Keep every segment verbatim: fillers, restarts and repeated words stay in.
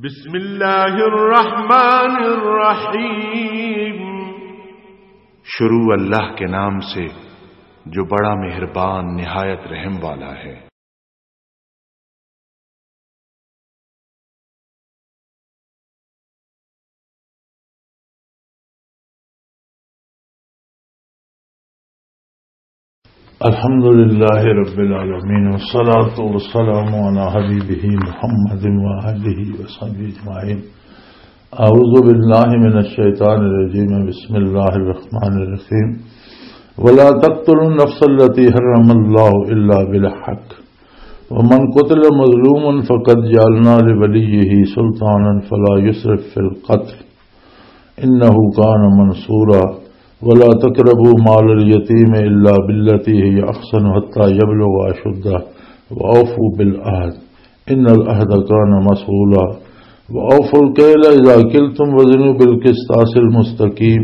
بسم اللہ الرحمن الرحیم۔ شروع اللہ کے نام سے، جو بڑا مہربان، نہایت رحم والا ہے۔ الحمد لله رب العالمين، والصلاة والسلام على حبيبه محمد وآله وصحبه أجمعين. أعوذ بالله من الشيطان الرجيم. بسم الله الرحمن الرحيم. ولا تقتلوا النفس التي حرم الله إلا بالحق، ومن قتل مظلوما فقد جعلنا لوليه سلطانا فلا يسرف في القتل، إنه كان منصورا. ولا تقربوا مال اليتيم إلا بالتي هي أحسن حتى يبلغ أشده، وأوفوا بالعهد، إن العهد كان مسؤولا. وأوفوا الكيل إذا كلتم وزنوا بالقسطاس المستقيم،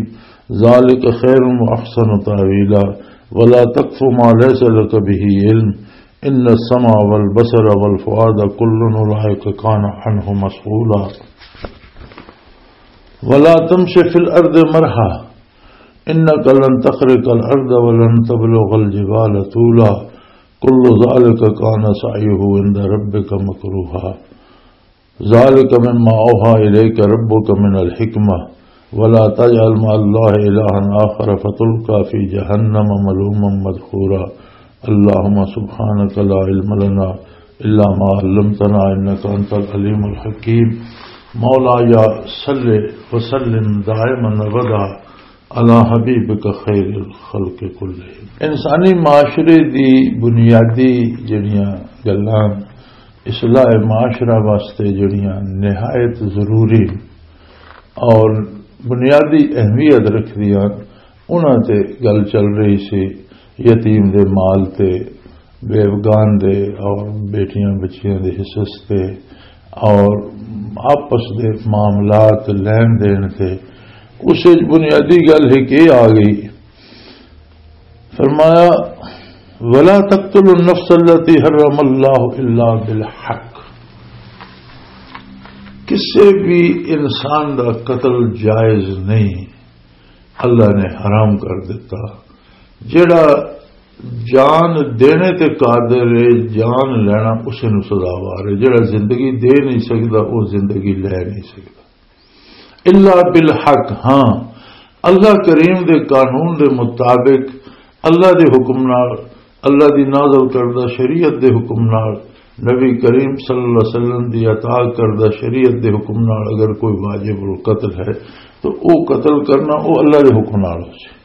ذلك خير وأحسن تأويلا. ولا تقف ما ليس لك به علم، إن السمع والبصر والفؤاد كل أولئك كان عنه مسؤولا. ولا تمش في الأرض مرحا، إنك لن تخرق الأرض ولن تبلغ الجبال طولا، كل ذلك كان سعيه عند ربك مكروها. ذلك مما أوحى إليك ربك من الحكمة، ولا تجعل مع الله إلها آخر فتلقى في جهنم ملوما مدحورا. اللهم سبحانك لا علم لنا إلا ما علمتنا إنك أنت العليم الحكيم. مولاي صل وسلم دائما أبدا على حبيبك خير الخلق كلهم. انسانی معاشرے دی بنیادی جڑیاں گلاں، اصلاح معاشرہ واسطے جڑیاں نہایت ضروری اور بنیادی اہمیت رکھدیاں، انہاں تے گل چل رہی سی، یتیم دے مال تے، بیوگان دے اور بیٹیاں بچیاں دے حصص تے اور آپس دے معاملات لین دین تے۔ اس وچ بنیادی گل ایک یہ آ گئی، فرمایا، "ولا تقتلوا النفس التي حرم الله إلا بالحق۔" کسے بھی انسان دا قتل جائز نہیں، اللہ نے حرام کر دیتا۔ جڑا جان دینے تے قادر ہے، جان لینا اسے نو سزاوار ہے۔ جڑا زندگی دے نہیں سکدا، وہ زندگی لے نہیں سکدا۔ الا بالحق، ہاں، اللہ کریم دے قانون دے مطابق، اللہ دے حکم نال، اللہ دی نازل کردہ شریعت دے حکم نال، نبی کریم صلی اللہ علیہ وسلم دی عطا کردہ شریعت دے حکم نال اگر کوئی واجب القتل ہے تو او قتل کرنا او اللہ دے حکم نال ہو سی۔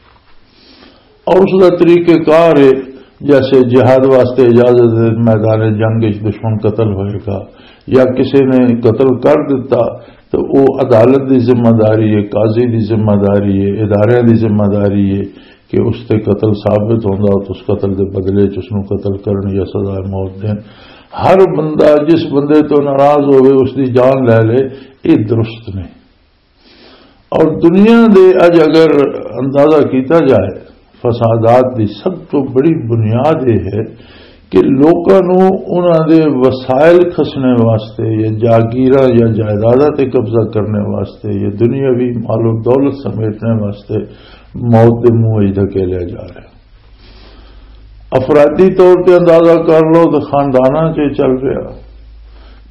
اور اس دا طریقہ کار ہے، جیسے جہاد واسطے اجازت ہے، میدان جنگ وچ دشمن قتل ہوئے گا یا کسی نے قتل کر دیتا تو وہ عدالت دی ذمہ داری ہے، قاضی دی ذمہ داری ہے، اداریاں دی ذمہ داری ہے کہ اس تے قتل ثابت ہوندا تو اس قتل دے بدلے چ اس نوں قتل کرن یا سزا موت دین۔ ہر بندہ جس بندے تو ناراض ہوئے اس دی جان لے لے، یہ درست نہیں۔ اور دنیا دے اج اگر اندازہ کیتا جائے، فسادات دی سب تو بڑی بنیاد یہ ہے کہ لوکاں نوں انہاں دے وسائل کھسنے واسطے یا جاگیراں یا جائیداداں تے قبضہ کرنے واسطے یا دنیاوی مال و دولت سمیٹنے واسطے موت دے منہ وچ دھکیلیا جا رہا ہے۔ افرادی طور تے اندازہ کر لو تے خانداناں 'چ چل رہا،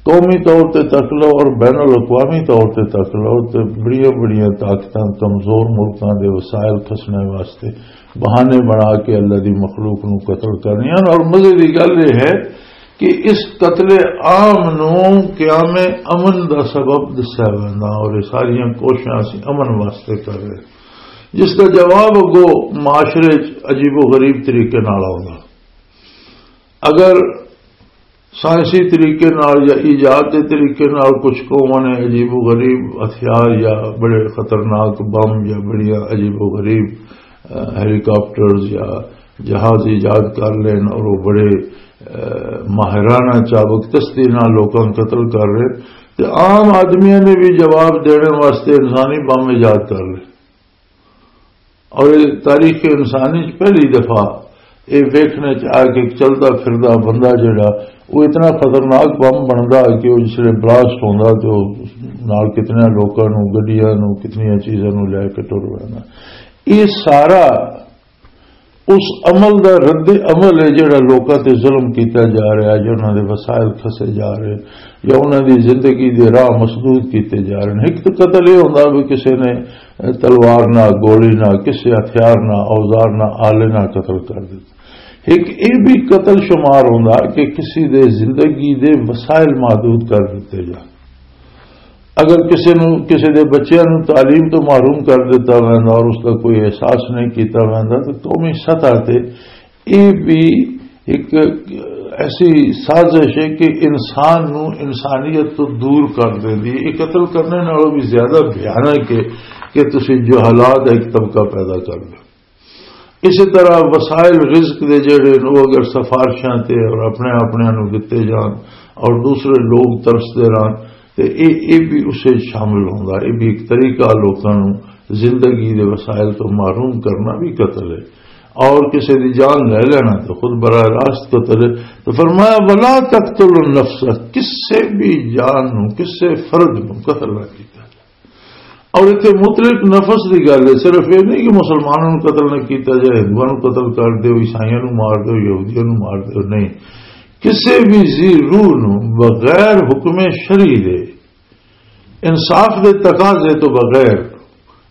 قومی طور تے تک لو اور بین الاقوامی طور تے تک لو تے بڑیاں بڑیاں طاقتاں کمزور ملکاں دے وسائل کھسنے واسطے بہانے بنا کے اللہ دی مخلوق نو قتل کرنیاں۔ اور مزے دی گل یہ ہے کہ اس قتل عام نو قیام امن دا سبب دسیا ویندا اور یہ ساریاں کوششاں اسی امن واسطے کر رہے، جس دا جواب اگو معاشرے 'چ عجیب و غریب طریقے نال آوندا۔ اگر سائنسی طریقے نال یا ایجاد دے طریقے نال کچھ قوماں نے عجیب و غریب ہتھیار یا بڑے خطرناک بم یا بڑیاں عجیب و غریب، اہ، ہیلی کاپٹرز یا جہاز ایجاد کر لین اور وہ بڑے، اہ، ماہرانہ چابک دستی نال لوکاں نوں قتل کر رہے، تے عام آدمیاں نے بھی جواب دینے واسطے انسانی بم ایجاد کر لے۔ اور یہ تاریخ انسانی چ پہلی دفعہ یہ ویکھنے چ آیا کہ ایک چلدا پھردا بندہ جڑا وہ اتنا خطرناک بم بندا کہ وہ جس ویلے بلاسٹ ہوندا تے وہ نال کتنے لوکاں نوں، گڈیاں نوں، کتنیاں چیزاں نوں لے کے ٹر ویندا۔ یہ سارا اس عمل دا رد عمل ہے جڑا لوکاں تے ظلم کیتا جا رہا ہے، یا انہاں دے وسائل کھسے جا رہے ہیں، یا انہاں دی زندگی دے راہ مسدود کیتے جا رہے ہیں۔ ایک تو قتل یہ ہوندا بھی کسی نے تلوار نہ، گولی نہ، کسی ہتھیار نہ، اوزار نہ، آلے نہ قتل کر دیتا۔ ایک یہ بھی قتل شمار ہوندا کہ کسی دے زندگی دے وسائل محدود کر دیتے جا۔ اگر کسی نو، کسی دے بچیاں نو تعلیم تو محروم کر دیتا ویندا اور اس دا کوئی احساس نہیں کیتا ویندا، تو قومی سطح تے یہ بھی ایک ایسی سازش ہے کہ انسان نو انسانیت تو دور کر دیندی ہے۔ یہ قتل کرنے نالوں بھی زیادہ بھیانک ہے کہ تسی جہالات ایک طبقہ پیدا کر دو۔ اسی طرح وسائل رزق دے جڑے نے، وہ اگر سفارشاں تے اور اپنے اپنے نوں دتے جان اور دوسرے لوگ ترسدے رہن، تے اے، اے بھی اسے شامل ہوندا۔ اے بھی ایک طریقہ لوکاں نوں زندگی دے وسائل تو محروم کرنا بھی قتل ہے، اور کسی دی جان لے لینا تو خود براہ راست قتل ہے۔ تو فرمایا، "ولا تقتلوا النفس"، کسے بھی جان نوں، کسے فرد نوں قتل نہ کیتا۔ اور اتنے مطلق نفس دی گل ہے، صرف یہ نہیں کہ مسلمانوں نوں قتل نہ کیتا جائے، ہندوؤں نوں قتل کر دیو، عیسائیاں نوں مار دیو، یہودیاں نوں مار دیو، نہیں۔ کسے بھی ذی روح نوں بغیر حکم شرعی دے، انصاف دے تقاضے تو بغیر،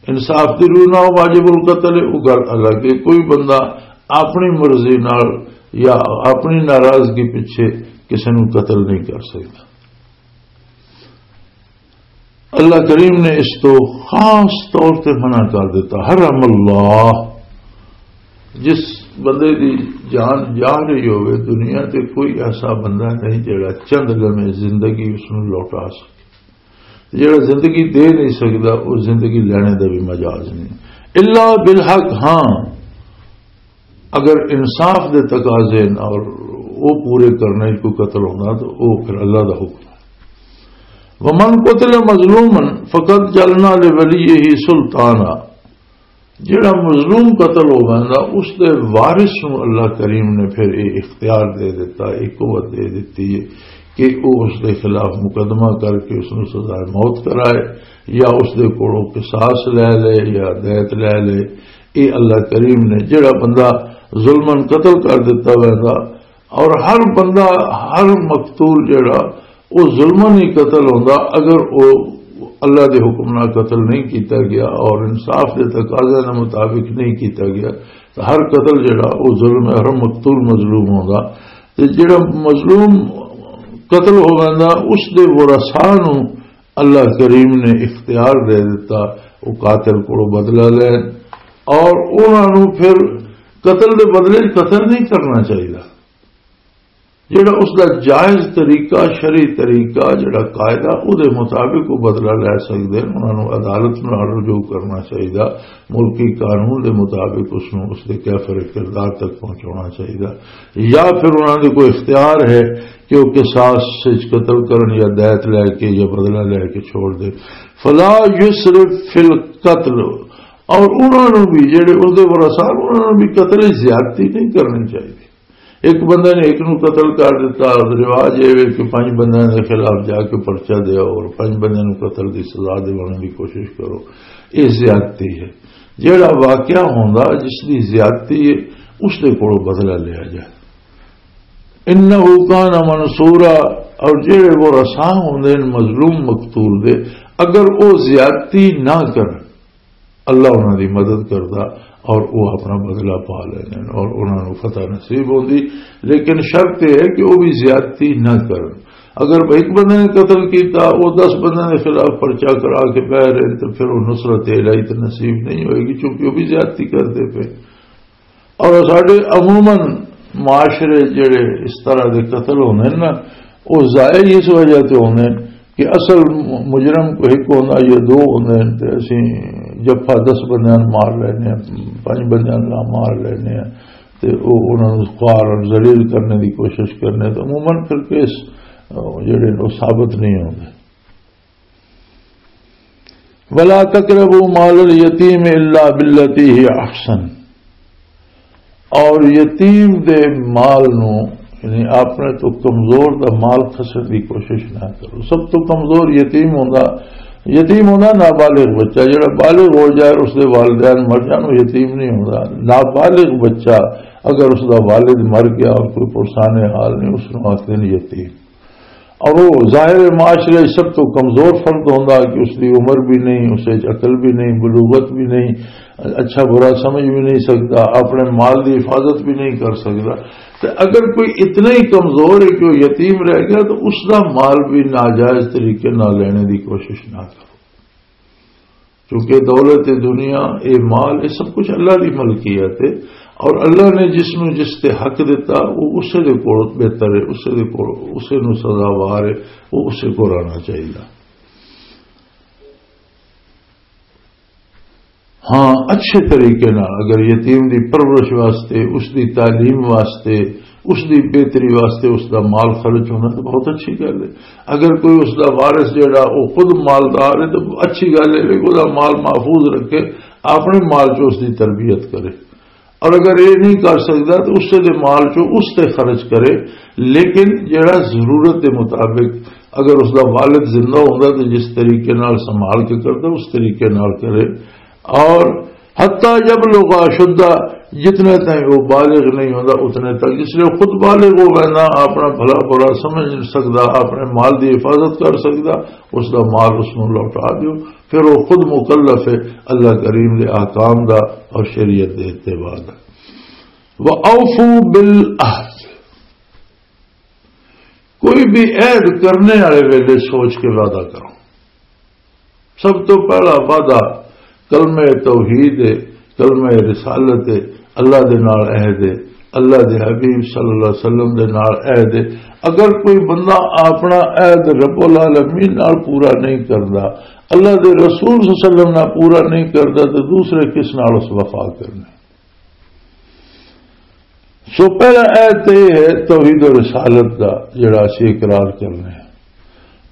انصاف دی روح نہ ہو، واجب القتل ہے، وہ گل الگ ہے۔ کوئی بندہ اپنی مرضی نال یا اپنی ناراضگی پیچھے کسی نوں قتل نہیں کر سکتا۔ اللہ کریم نے اس تو خاص طور تے منع کر دیتا۔ حرم اللہ، جس بندے دی جان جا رہی ہوئے دنیا تے، کوئی ایسا بندہ نہیں جڑا چند لمحے زندگی اس نوں لوٹا سکے۔ جڑا زندگی دے نہیں سکدا، وہ زندگی لینے دا بھی مجاز نہیں۔ الا بالحق، ہاں، اگر انصاف دے تقاضے نہ اور وہ پورے کرنے کو قتل ہونا تو وہ پھر اللہ دا حکم ہے۔ ومن قتل مظلوما فقد جعلنا لوليه سلطانا، جڑا مظلوم قتل ہو ویندا، اس دے وارث نوں اللہ کریم نے پھر یہ اختیار دے دیتا، یہ قوت دے دیتی ہے کہ وہ اس دے خلاف مقدمہ کر کے اس نوں سزائے موت کرائے، یا اس دے کولوں قصاص لے لے یا دیت لے لے۔ یہ اللہ کریم نے، جڑا بندہ ظلمن قتل کر دیتا ویندا، اور ہر بندہ، ہر مقتول جڑا، وہ ظلمن ہی قتل ہوندا۔ اگر وہ اللہ دے حکم نال قتل نہیں کیتا گیا اور انصاف دے تقاضے دے مطابق نہیں کیتا گیا، تو ہر قتل جڑا، وہ ظلم ہے، ہر مقتول مظلوم ہوندا۔ تے جڑا مظلوم قتل ہو ویندا، اس دے ورثاء نوں اللہ کریم نے اختیار دے دیتا، وہ قاتل کولوں بدلہ لین، اور انہاں نوں پھر قتل دے بدلے قتل نہیں کرنا چاہیے۔ جڑا اس دا جائز طریقہ، شرعی طریقہ، جڑا قاعدہ، او دے مطابق وہ بدلہ لے سکدے ہیں۔ انہاں نوں عدالت نال رجوع کرنا چاہیے، ملکی قانون دے مطابق اس نوں اس دے کیفر کردار تک پہنچانا چاہیے، یا پھر انہاں دے کوئی اختیار ہے کہ وہ قصاص وچ قتل کرن یا دیت لے کے یا بدلہ لے کے چھوڑ دے۔ فلا یسرف فی القتل، اور انہاں نوں بھی، جڑے اس دے ورثاء، انہاں نوں بھی قتل وچ زیادتی نہیں کرنی چاہیے۔ ایک بندے نے ایک نوں قتل کر دیتا، رواج یہ ہے کہ پنج بندیاں دے خلاف جا کے پرچہ دیا اور پنج بندیاں نوں قتل دی سزا دیوانے دی کوشش کرو، یہ زیادتی ہے۔ جڑا واقعہ ہوندا، جس دی زیادتی ہے، اس دے کولوں بدلہ لیا جائے۔ انہ کان منصورا، اور جڑے وہ رساں ہوندے نے مظلوم مقتول دے، اگر وہ زیادتی نہ کرن، اللہ انہاں دی مدد کردا اور وہ اپنا بدلہ پا لیندے نے اور انہاں نوں فتح نصیب ہوندی۔ لیکن شرط یہ ہے کہ وہ بھی زیادتی نہ کرن۔ اگر ایک بندے نے قتل کیتا، وہ دس بندے دے خلاف پرچہ کرا کے بہ رہے، تو پھر وہ نصرت الہی تو نصیب نہیں ہوئے گی، چونکہ وہ بھی زیادتی کرتے پے۔ اور ساڈے عموماً معاشرے جڑے اس طرح دے قتل ہوندے نے نا، وہ ظاہر ہی اس وجہ تے ہوندے نے کہ اصل مجرم کوئی ایک ہوندا یا دو ہوندے نے، تے اسی جفا دس بندیاں نوں مار لینے ہیں، پنج بندیاں نوں مار لینے ہیں، تے وہ انہاں نوں خوار اور ذلیل کرنے دی کوشش کرنے، تو عموماً پھر کیس، آ، جڑے نے وہ ثابت نہیں ہوندے۔ ولا تقربوا مال الیتیم الا بالتی ہی احسن، اور یتیم دے مال نو یعنی اپنے تو کمزور دا مال کھسن دی کوشش نہ کرو۔ سب تو کمزور یتیم ہوندا، یتیم ہوندا نابالغ بچہ، جڑا بالغ ہو جائے، اس دے والدین مر جان، وہ یتیم نہیں ہوندا۔ نابالغ بچہ، اگر اس دا والد مر گیا اور کوئی پرسان حال نہیں، اس نوں آخدے نے یتیم۔ اور وہ ظاہر معاشرے سب تو کمزور فرد ہوندا کہ اس دی عمر بھی نہیں، اسے عقل بھی نہیں، بلوغت بھی نہیں، اچھا برا سمجھ بھی نہیں سکتا، اپنے مال دی حفاظت بھی نہیں کر سکتا۔ تو اگر کوئی اتنا ہی کمزور ہے کہ وہ یتیم رہ گیا، تو اس دا مال بھی ناجائز طریقے نال لینے دی کوشش نہ کرو، کیونکہ دولت دنیا، اے مال، اے سب کچھ اللہ دی ملکیت ہے، اور اللہ نے جس نو جس تے حق دتا، وہ اسے دے کول بہتر ہے، اسے دے کول، اسے نو سزاوار ہے، وہ اسے کول آنا چاہیے۔ ہاں، اچھے طریقے نال اگر یتیم دی پرورش واسطے، اس دی تعلیم واسطے، اس دی بہتری واسطے اس دا مال خرچ ہونا تو بہت اچھی گل ہے۔ اگر کوئی اس دا وارث جڑا وہ خود مالدار ہے تو اچھی گل ہے کہ وہ دا مال محفوظ رکھے، اپنے مال چ اس دی تربیت کرے۔ اور اگر یہ نہیں کر سکتا تو اس دے مال چ اس تے خرچ کرے، لیکن جڑا ضرورت دے مطابق، اگر اس دا والد زندہ ہوندا تو جس طریقے نال سنبھال کے کردا، اس طریقے نال کرے۔ اور حتیٰ یبلغ اشدہ، جتنے تائیں وہ بالغ نہیں ہوندا اتنے تک، جس لئے خود بالغ ہو وینا، اپنا بھلا برا سمجھ سکدا، اپنے مال دی حفاظت کر سکدا، اس دا مال اس نوں لوٹا دیو۔ پھر وہ خود مکلف ہے اللہ کریم دے احکام دا اور شریعت دے اتباع دا۔ وَأَوْفُوا بِالْعَهْدِ، کوئی بھی عہد کرنے والے ویلے سوچ کے وعدہ کرو۔ سب تو پہلا وعدہ کلمہ توحید ہے، کلمہ رسالت ہے، اللہ دے نال عہد ہے، اللہ دے حبیب صلی اللہ علیہ وسلم دے نال عہد ہے۔ اگر کوئی بندہ اپنا عہد رب العالمین نال پورا نہیں کردا، اللہ دے رسول صلی اللہ علیہ وسلم نال پورا نہیں کردا، تو دوسرے کس نال اس وفا کرنی؟ سو پہلا عہد تے یہ ہے توحید و رسالت دا، جڑا اسی اقرار کرنے ہیں۔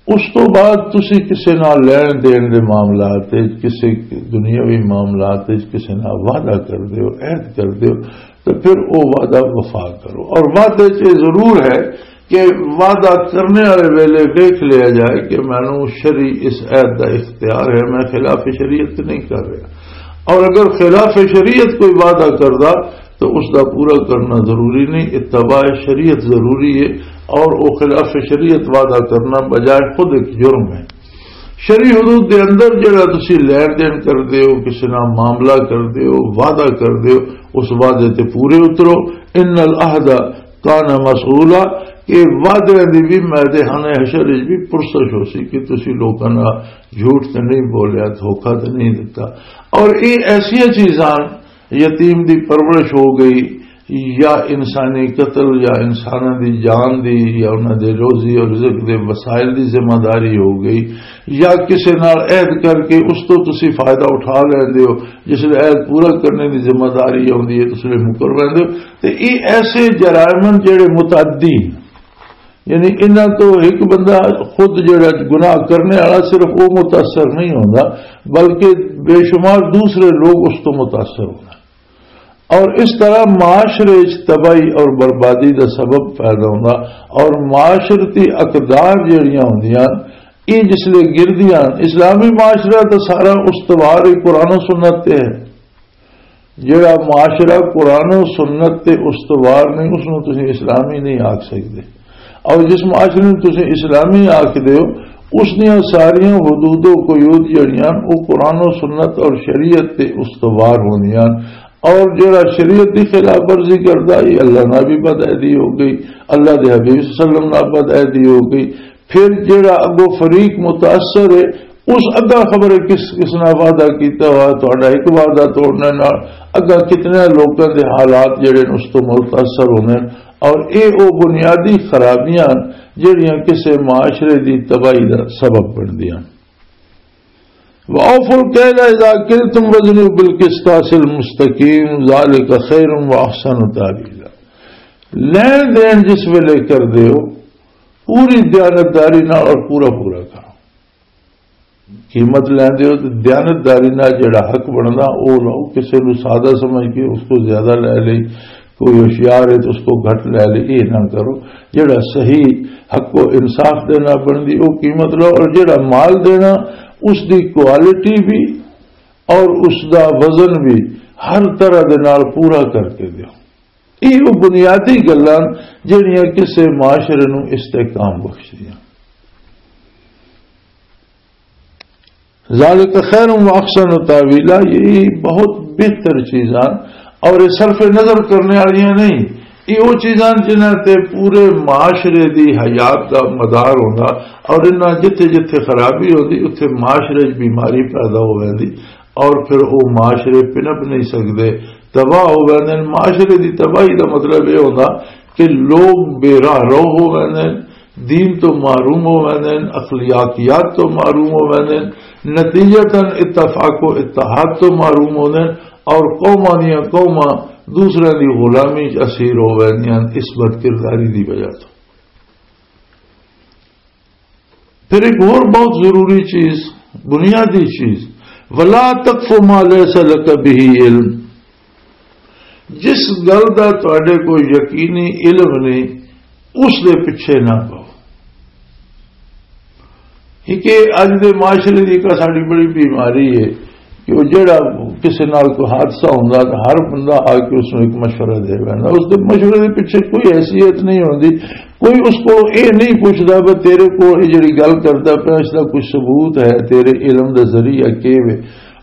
اس تو بعد تسی کسے نال لین دین دے معاملات وچ، کسے دنیاوی معاملات وچ کسے نال وعدہ کر دیو، عہد کر دیو، تو پھر او وعدہ وفا کرو۔ اور وعدے چ یہ ضرور ہے کہ وعدہ کرنے والے ویلے دیکھ لیا جائے کہ مینوں شرعی اس عہد دا اختیار ہے، میں خلاف شریعت نہیں کر رہا۔ اور اگر خلاف شریعت کوئی وعدہ کردا تو اس دا پورا کرنا ضروری نہیں، اتباع شریعت ضروری ہے۔ اور وہ خلاف شریعت وعدہ کرنا بجائے خود ایک جرم ہے۔ شرعی حدود دے اندر جڑا تسی لین دین کر دیو، کسی نال معاملہ کر دیو، وعدہ کر دیو، اس وعدے تے پورے اترو۔ ان العہد کان مسئولا، کہ وعدے دی بھی میدان حشر وچ بھی پرسش ہو سی کہ تسی لوکاں نال جھوٹ تے نہیں بولیا، دھوکا تے نہیں دتا۔ اور یہ ایسیاں چیزاں، یتیم دی پرورش ہو گئی، یا انسانی قتل، یا انساناں دی جان دی، یا انہاں دے روزی اور رزق دے وسائل دی ذمہ داری ہو گئی، یا کسے نال عہد کر کے اس تو تسی فائدہ اٹھا لیندے ہو، جس لے عہد پورا کرنے دی ذمہ داری ہوندی ہے، اس لے مکر لیندے ہو۔ تے یہ ایسے جرائم ہیں جڑے متعدی ہیں۔ یعنی انہاں تو ایک بندہ خود جڑا گناہ کرنے والا صرف وہ متاثر نہیں ہوندا، بلکہ بے شمار دوسرے لوگ اس تو متاثر ہوندے۔ اور اس طرح معاشرے وچ تباہی اور بربادی دا سبب پیدا ہوندا۔ اور معاشرتی اقدار جڑیاں ہوندیاں، یہ جس لے گردیاں، اسلامی معاشرہ تو سارا استوار ہی قرآن و سنت تے ہے۔ جڑا معاشرہ قرآن و سنت تے استوار نہیں، اس نوں تسی اسلامی نہیں آکھ سکدے۔ اور جس معاشرے نوں تسی اسلامی آکھ دیو، اس دیاں ساریاں حدود و قیود جڑیاں، وہ قرآن و سنت اور شریعت تے استوار ہوندیاں۔ اور جڑا شریعت دی خلاف ورزی کردا، یہ اللہ نال بھی بد عہدی ہو گئی، اللہ دے حبیب صلی اللہ علیہ وسلم نال بد عہدی ہو گئی۔ پھر جڑا اگو فریق متاثر ہے، اس اگا خبر ہے کس کس نال وعدہ کیتا ہوا، تہاڈا ایک وعدہ توڑنے نال اگا کتنے لوکاں دے حالات جڑے نے اس تو متاثر ہونے۔ اور اے او بنیادی خرابیاں جڑیاں کسے معاشرے دی تباہی دا سبب بندیاں۔ وَأَوْفُوا الْكَيْلَ إِذَا كِلْتُمْ وَزِنُوا بِالْقِسْطَاسِ الْمُسْتَقِيمِ، ذَلِكَ خَيْرٌ وَأَحْسَنُ تَأْوِيلًا۔ لین دین جس ویلے کر دیو، پوری دیانتداری نال اور پورا پورا کرو۔ قیمت لیندے ہو تے دیانتداری نال جڑا حق بندا، او لو۔ کسے نوں سادہ سمجھ کے اس کو زیادہ لے لئی، کوئی ہوشیار ہے تو اس کو گھٹ لے لے، یہ نہ کرو۔ جڑا صحیح حق و انصاف دینا بندی، وہ قیمت لو، اور جڑا مال دینا، اس دی کوالٹی بھی اور اس دا وزن بھی ہر طرح دے نال پورا کر کے دیو۔ یہ وہ بنیادی گلاں جڑیاں کسے معاشرے نو استحکام بخشدیاں۔ ذالک خیر و احسن تاویلا، یہ بہت بہتر چیزاں اور یہ صرف نظر کرنے والیاں نہیں۔ یہ وہ چیزاں جنہاں تے پورے معاشرے دی حیات دا مدار ہوندا، اور انہاں جتھے جتھے خرابی ہوندی، اتھے معاشرے 'چ بیماری پیدا ہو ویندی، اور پھر وہ معاشرے پنپ نہیں سکدے، تباہ ہو ویندے نے۔ معاشرے دی تباہی دا مطلب یہ ہوندا کہ لوگ بے راہ رو ہو ویندے نے، دین تو محروم ہو ویندے نے، اخلاقیات تو محروم ہو ویندے نے، نتیجتاً اتفاق و اتحاد تو محروم ہوندے نے، اور قوماں دیاں قوماں دوسرے دی غلامی 'چ اسیر ہو ویندیاں نے اس بد کرداری دی وجہ تو۔ پھر ایک اور بہت ضروری چیز، بنیادی چیز، ولا تقف ما ليس لك به علم، جس گل دا تواڈے کوئی یقینی علم نہیں، اس دے پیچھے نہ پاؤ۔ کیونکہ اج دے معاشرے دی ایک ساڈی بڑی بیماری ہے کہ وہ جڑا کسی نال کوئی حادثہ ہوندا، تو ہر بندہ آ کے اس نوں ایک مشورہ دے ویندا۔ اس دے مشورے دے پیچھے کوئی حیثیت نہیں ہوندی، کوئی اس کو یہ نہیں پوچھدا بھی تیرے کو یہ جڑی گل کردا پیا، اس دا کوئی ثبوت ہے، تیرے علم دا ذریعہ کی وے؟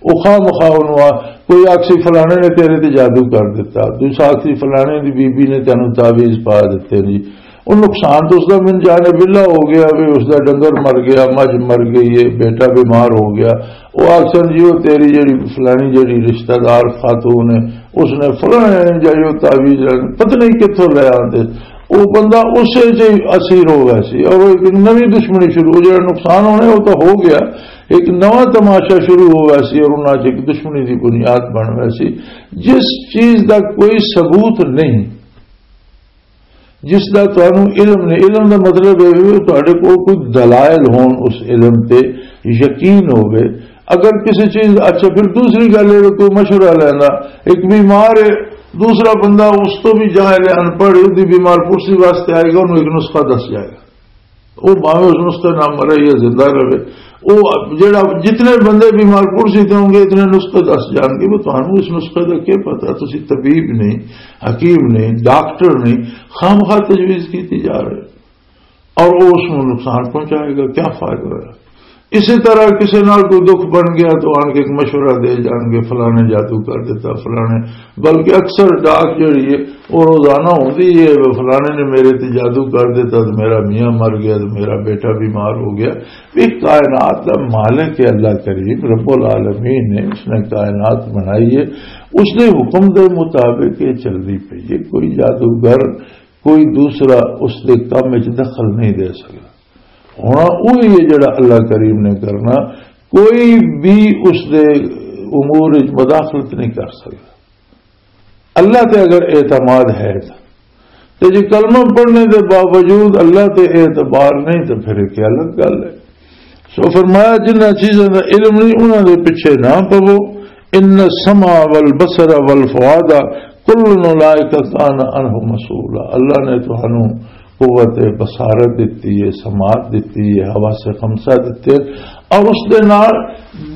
وہ خواہ مخواہ انہوں آ، کوئی آکسی فلانے نے تیرے تے جادو کر دیتا، دوسرا آکسی فلانے دی بی بی نے تینوں تعویذ پا دیتے جی۔ وہ نقصان تو اس دا من جانے بلا ہو گیا، بھی اس دا ڈنگر مر گیا، مجھ مر گئی ہے، بیٹا بیمار ہو گیا۔ وہ آکسن جی، وہ تیری جڑی فلانی جڑی رشتہ دار خاتون ہے، اس نے فلانے نے جڑی وہ تعویذ پتہ نہیں کتھوں لے آتے۔ وہ بندہ اسے سے اسیر ہو گیا سی، اور وہ ایک نوی دشمنی شروع، وہ جڑا نقصان ہونا ہے، وہ تو ہو گیا، ایک نواں تماشا شروع ہو گیا سی، اور انہاں چ ایک دشمنی دی بنیاد بن گیا سی، جس چیز دا کوئی ثبوت نہیں، جس دا تانوں علم نہیں۔ علم دا مطلب ہے کہ تہاڈے کول کوئی دلائل ہون، اس علم تے یقین ہوے۔ اگر کسی چیز، اچھا، پھر دوسری گل ہے کہ کوئی مشورہ لینا، ایک بیمار ہے، دوسرا بندہ اس تو بھی جاہل ہے، ان پڑھ ہے، اس دی بیمار پرسی واسطے آئے گا، انہوں ایک نسخہ دس جائے گا۔ وہ بھاویں اس نسخے نال مرے یا زندہ رہے، وہ جڑا، جتنے بندے بیمار پرسی تے ہوں گے، اتنے نسخے دس جان گے۔ وہ تانوں اس نسخے دا کیا پتا؟ تسی طبیب نہیں، حکیم نہیں، ڈاکٹر نہیں، خامخواہ تجویز کیتی جا رہے اور وہ اس نوں نقصان پہنچائے گا، کیا فائدہ ہویا؟ اسی طرح کسی نال کوئی دکھ بن گیا تو آن کے ایک مشورہ دے جان گے، فلانے جادو کر دیتا، فلانے، بلکہ اکثر ڈاک جڑی ہے، وہ روزانہ ہوندی ہے، وہ فلانے نے میرے تے جادو کر دیتا تو میرا میاں مر گیا تو میرا بیٹا بیمار ہو گیا۔ یہ کائنات دا مالک ہے، اللہ کریم رب العالمین ہے، اس نے کائنات بنائی ہے، اس نے حکم دے مطابق یہ چلدی پئی ہے۔ کوئی جادوگر، کوئی دوسرا اس دے کم وچ دخل نہیں دے سکدا۔ ہونا وہی ہے جڑا اللہ کریم نے کرنا، کوئی بھی اس دے امور وچ مداخلت نہیں کر سکدا۔ اللہ تے اگر اعتماد ہے تو، تے جے کلمہ پڑھنے دے باوجود اللہ تے اعتبار نہیں تو پھر ایک الگ گل ہے۔ سو فرمایا، جنہاں چیزاں دا علم نہیں، انہاں دے پیچھے نہ پوو۔ ان السمع والبصر والفؤاد کل اولئک کان عنہ مسئولا۔ اللہ نے تانوں قوت بصارت دتی ہے، سماعت دتی ہے، حواس خمسہ دتے، اور اس دے نال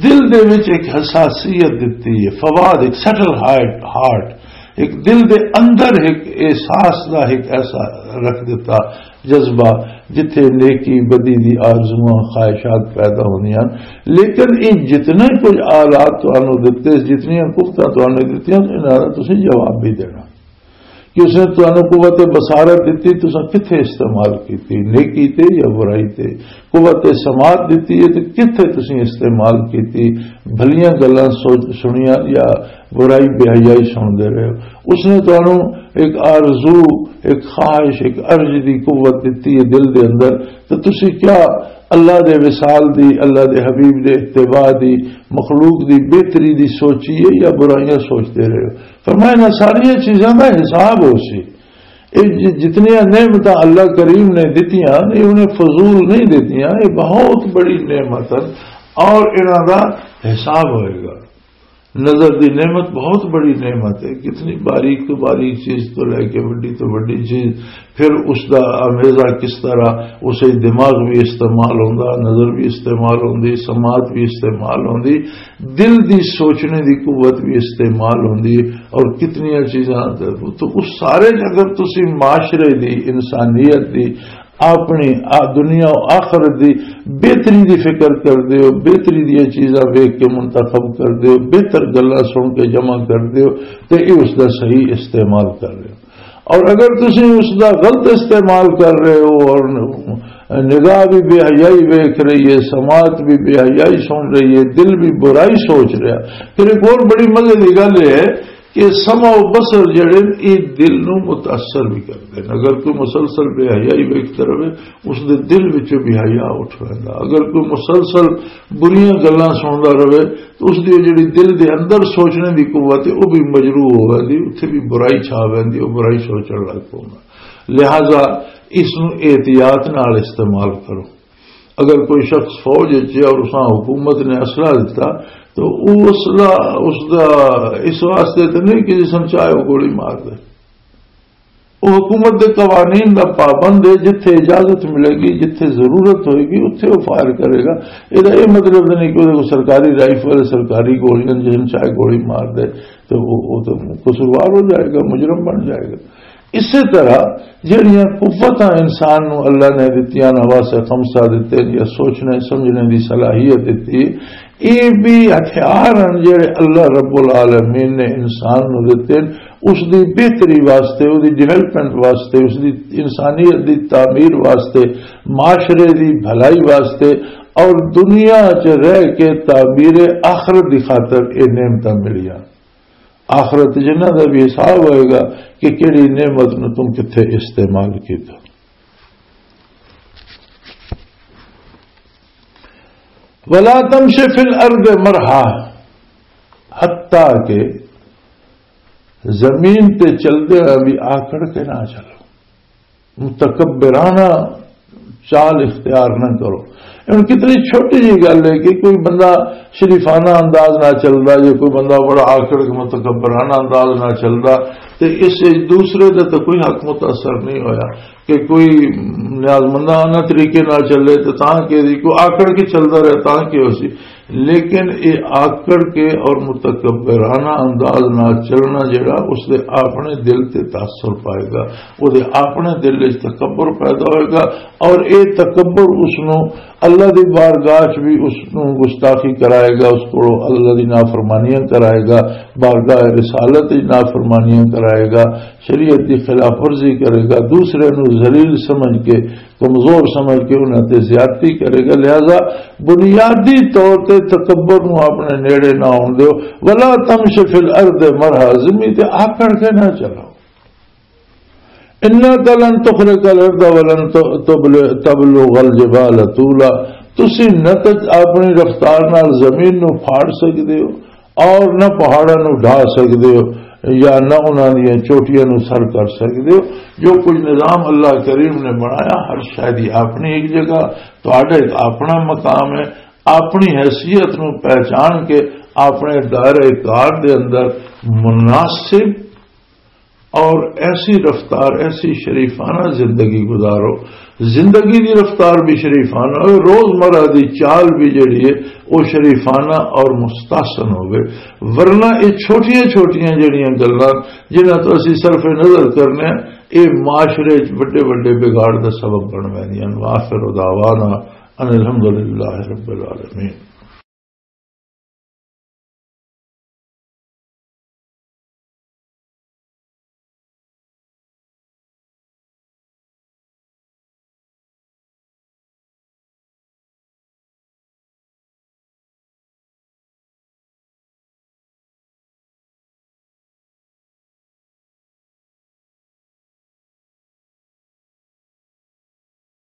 دل دے وچ ایک حساسیت دتی ہے، فواد، ایک سٹل ہارٹ، ہارٹ، ایک دل دے اندر ایک احساس دا ایک ایسا رکھ دتا جذبہ، جتھے نیکی بدی دی آرزوئاں، خواہشات پیدا ہوندیاں۔ لیکن یہ جتنے کچھ آلات تانوں دتے، جتنیاں قوتاں تانوں دتیاں، انہاں دا تسی جواب بھی دینا کہ اس نے تانوں قوت بصارت دتی، تساں کتھے استعمال کیتی، نیکی تے یا برائی تے؟ قوت سماعت دتی ہے تے کتھے تساں استعمال کیتی، بھلیاں گلاں سوچ سنیاں یا برائی بے حیائی سن دے رہے ہو؟ اس نے تانوں ایک آرزو، ایک خواہش، ایک ارج دی قوت دتی ہے دل دے اندر، تو تسی کیا اللہ دے وصال دی، اللہ دے حبیب دے اتباع دی، مخلوق دی بہتری دی سوچی ہے یا برائیاں سوچتے رہے ہو؟ فرمایا، انہاں ساریاں چیزاں دا حساب ہو سی۔ یہ ج-، جتنیاں نعمتاں اللہ کریم نے دتیاں، یہ انہیں فضول نہیں دتیاں، یہ بہت بڑی نعمت ہے اور انہاں دا حساب ہوئے گا۔ نظر دی نعمت بہت بڑی نعمت ہے، کتنی باریک تو باریک چیز تو لے کے بڑی تو بڑی چیز، پھر اس دا آمیزہ کس طرح، اسے دماغ بھی استعمال ہوندا، نظر بھی استعمال ہوندی، سماعت بھی استعمال ہوندی، دل دی سوچنے دی قوت بھی استعمال ہوندی، اور کتنی چیزاں۔ تو اس سارے اگر تسی معاشرے دی، انسانیت دی، اپنی آ-، دنیا و آخرت دی بہتری دی فکر کر دیو، بہتری دی چیزاں ویکھ کے منتخب کر دیو، بہتر گلاں سن کے جمع کر دیو، تے یہ اس دا صحیح استعمال کر رہے ہو۔ اور اگر تسی اس دا غلط استعمال کر رہے ہو اور نگاہ بھی بے حیائی ویکھ رہی ہے، سماعت بھی بے حیائی سن رہی ہے، دل بھی برائی سوچ رہا، پھر ایک اور بڑی مزے کی گل یہ ہے کہ سمع و بصر جڑے نے، یہ دل نو متاثر بھی کرتے ہیں۔ اگر کوئی مسلسل بے حیائی ویکھدا رہے، اس دے دل وچوں بے حیا اٹھ ویندا۔ اگر کوئی مسلسل بریاں گلاں سندا رہے، تو اس دی جڑی دل دے اندر سوچنے دی قوت ہے، وہ بھی مجروح ہو ویندی، اتھے بھی برائی چھا ویندی، وہ برائی سوچن لگ پوندا۔ لہذا اس نو احتیاط نال استعمال کرو۔ اگر کوئی شخص فوج وچ ہے اور اساں حکومت نے اسلحہ دتا، تو وہ اسلحہ اس دا اس واسطے تو نہیں کہ جسم چاہے وہ گولی مار دے۔ وہ حکومت دے قوانین دا پابند ہے، جتھے اجازت ملے گی، جتھے ضرورت ہوئے گی، اتھے وہ فائر کرے گا۔ یہ مطلب نہیں کہ وہ سرکاری رائفل، سرکاری گولیاں، جسم چاہے گولی مار دے، تو وہ وہ تو قصوروار ہو جائے گا، مجرم بن جائے گا۔ اسی طرح جہڑیاں قوتاں انسان نو اللہ نے دتیاں نہ، واسطے خمسہ دتے یا سوچنے سمجھنے دی صلاحیت دتی، یہ بھی ہتھیار ہیں جہڑے اللہ رب العالمین نے انسان نو دتے ہیں، اس دی بہتری واسطے، اس دی ڈیولپمنٹ واسطے، اس دی انسانیت دی تعمیر واسطے، معاشرے دی بھلائی واسطے، اور دنیا چ رہ کے تعمیر آخرت دی خاطر یہ نعمتاں ملیاں۔ آخرت جنہ دا بھی حساب ہوئے گا کہ کیڑی نعمت نو تم کتھے استعمال کیتا۔ ولا تمش فی الارض مرحا، حتیٰ کہ زمین تے چلدے ہوئے بھی آکڑ کے نہ چلو، متکبرانہ چال اختیار نہ کرو۔ ہن کتنی چھوٹی جی گل ہے کہ کوئی بندہ شریفانہ انداز نہ چلدا، یا کوئی بندہ بڑا آکڑ کے متکبرانہ انداز نہ چلدا، تے اس وچ دوسرے دا تے کوئی حق متاثر نہیں ہویا۔ کہ کوئی نیازمندانہ طریقے نال چلے تے تاں کہ دی، کوئی آکڑ کے چلدا رہے تاں کہ ہو سی۔ لیکن یہ آکڑ کے اور متکبرانہ انداز نال چلنا جڑا، اس دے اپنے دل تے تاثر پائے گا، وہ دے اپنے دل وچ تکبر پیدا ہوئے گا، اور یہ تکبر اس نو اللہ دی بارگاہ چ بھی اس نو گستاخی کرائے گا، اس کو اللہ دی نافرمانیاں کرائے گا، بارگاہ رسالت دی نافرمانیاں کرائے گا، شریعت دی خلاف ورزی کرے گا، دوسرے نو ذلیل سمجھ کے، کمزور سمجھ کے انہاں تے زیادتی کرے گا۔ لہذا بنیادی طور تے تکبر نو اپنے نیڑے نہ آن دیو۔ ولا تمش فی الارض مرحا، زمین تے آکڑ کے نہ چلو۔ انک لن تخرق الارض ولن تبلغ الجبال طولا، تسی نہ تے اپنی رفتار نال زمین نو پھاڑ سکدے ہو، اور نہ پہاڑاں نو ڈھا سکدے ہو، یا نہ انہاں دیاں چوٹیاں نو سر کر سکدے ہو۔ جو کچھ نظام اللہ کریم نے بنایا، ہر شے دی اپنی ایک جگہ، تہاڈا ایک اپنا مقام ہے۔ اپنی حیثیت نو پہچان کے اپنے دائرہ کار دے اندر مناسب اور ایسی رفتار، ایسی شریفانہ زندگی گزارو، زندگی دی رفتار بھی شریفانہ ہو، روزمرہ دی چال بھی جڑی ہے، وہ شریفانہ اور مستحسن ہوے۔ ورنہ یہ چھوٹیاں چھوٹیاں جڑیاں گلاں جنہاں تو اسی صرف نظر کرنے ہیں، یہ معاشرے وچ وڈے وڈے بگاڑ دا سبب بن ویندیاں۔ وآخر دعوانا ان الحمدللہ رب العالمین۔